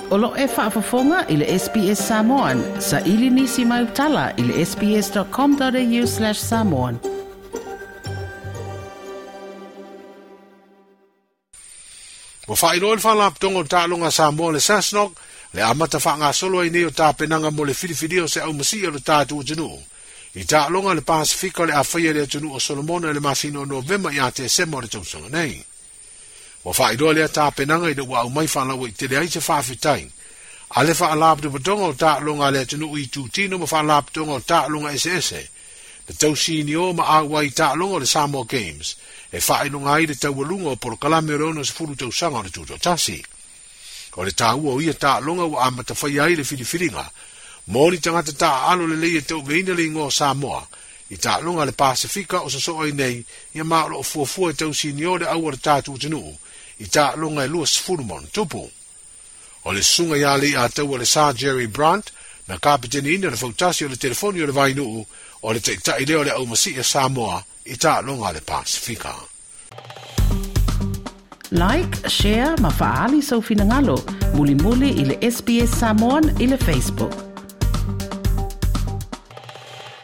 O lo o e faafofoga i le SBS Samoan. Saili nisi mau tala i le sbs.com.au/samoan. Ua faailoa le Faalapotopotoga o Taaloga a Samoa le SASNOC le amata faagasolo ai nei o tapenaga mo le filifilia o se aumasii o le tatou atunuu i taaloga a le Pasefika o le a faia i le atunuu o Solomona i le masina o Novema ia Tesema o le tausaga nei. Ua faailoa lea tapenaga ina ua aumai faalauaitele ai se faafetai a le Faalapotopotoga o Taaloga a le atunuu i itutino ma faalapotopotoga o taaloga eseese na tausinio ma auai i taaloga o le Samoa Games e faailoga ai le taualuga o polokalame o le 60 tausaga o le Tutoatasi. O le taua o ia taaloga ua amata faia ai le filifiliga mo ni tagata taaalo lelei e tauaveina le igoa o Samoa i taaloga a le Pasefika o sosoo ai nei ia ma o lo o fuafua e tausinio le au a le tatou atunuu i taaloga e 20 ma ono tupu. O le susuga ia Leiataua le Sir Jerry Brandt na kapiteniina le fautasi o le telefoni o le Vainuu o le taitai lea o le aumasii a Samoa i taaloga a le Pasefika. Like, share ma faaali sou finagalo. Mulimuli i le SBS Samoan i le Facebook.